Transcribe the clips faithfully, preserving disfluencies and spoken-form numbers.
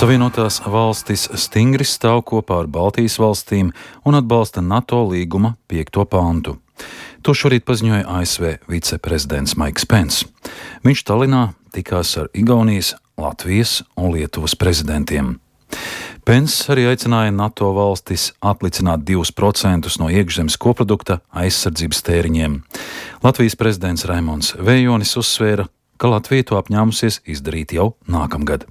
Savienotās valstis stingri stāv kopā ar Baltijas valstīm un atbalsta NATO līguma piekto pantu. To šorīt paziņoja A S V viceprezidents Maiks Pence. Viņš Tallinā tikās ar Igaunijas, Latvijas un Lietuvas prezidentiem. Pence arī aicināja NATO valstis atlicināt divus procentus no iekšzemes koprodukta aizsardzības tēriņiem. Latvijas prezidents Raimonds Vējonis uzsvēra, ka Latvija to apņēmusies izdarīt jau nākamgad.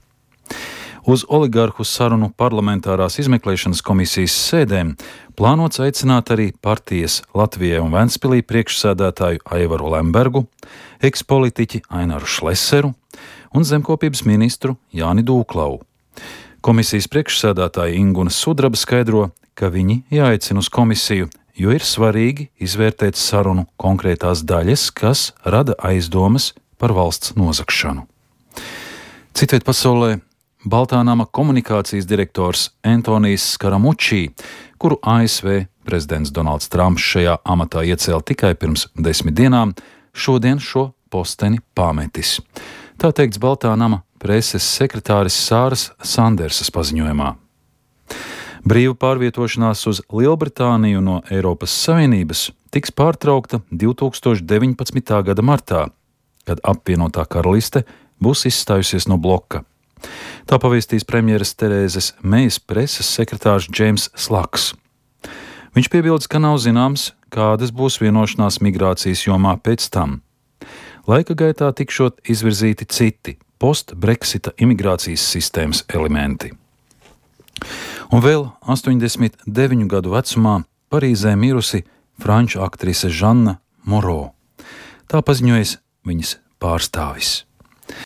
Uz oligarhu sarunu parlamentārās izmeklēšanas komisijas sēdēm plānots aicināt arī partijas Latvijai un Ventspilī priekšsēdētāju Aivaru Lembergu, ekspolitiķi Aināru Šleseru un zemkopības ministru Jāni Dūklau. Komisijas priekšsēdētāja Inguna Sudraba skaidro, ka viņi jāaicina uz komisiju, jo ir svarīgi izvērtēt sarunu konkrētās daļas, kas rada aizdomas par valsts nozagšanu. Citviet pasaulē Baltā nama komunikācijas direktors Antonijs Skaramučī, kuru A S V prezidents Donalds Trumps šajā amatā iecēla tikai pirms desmit dienām, šodien šo posteni pametis. Tā teikts Baltā nama preses sekretāris Sāras Sandersas paziņojumā. Brīva pārvietošanās uz Lielbritāniju no Eiropas Savienības tiks pārtraukta divtūkstoš deviņpadsmitā gada martā, kad apvienotā karaliste būs izstājusies no bloka. Tā pavēstīs premjeras Terēzes Mejas preses sekretārs Džeims Slaks. Viņš piebilda, ka nav zināms, kādas būs vienošanās migrācijas jomā pēc tam. Laika gaitā tikšot izvirzīti citi post-Brexita imigrācijas sistēmas elementi. Un vēl astoņdesmit deviņu gadu vecumā Parīzē mirusi franču aktrise Žanna Moro. Tā paziņojas viņas pārstāvis.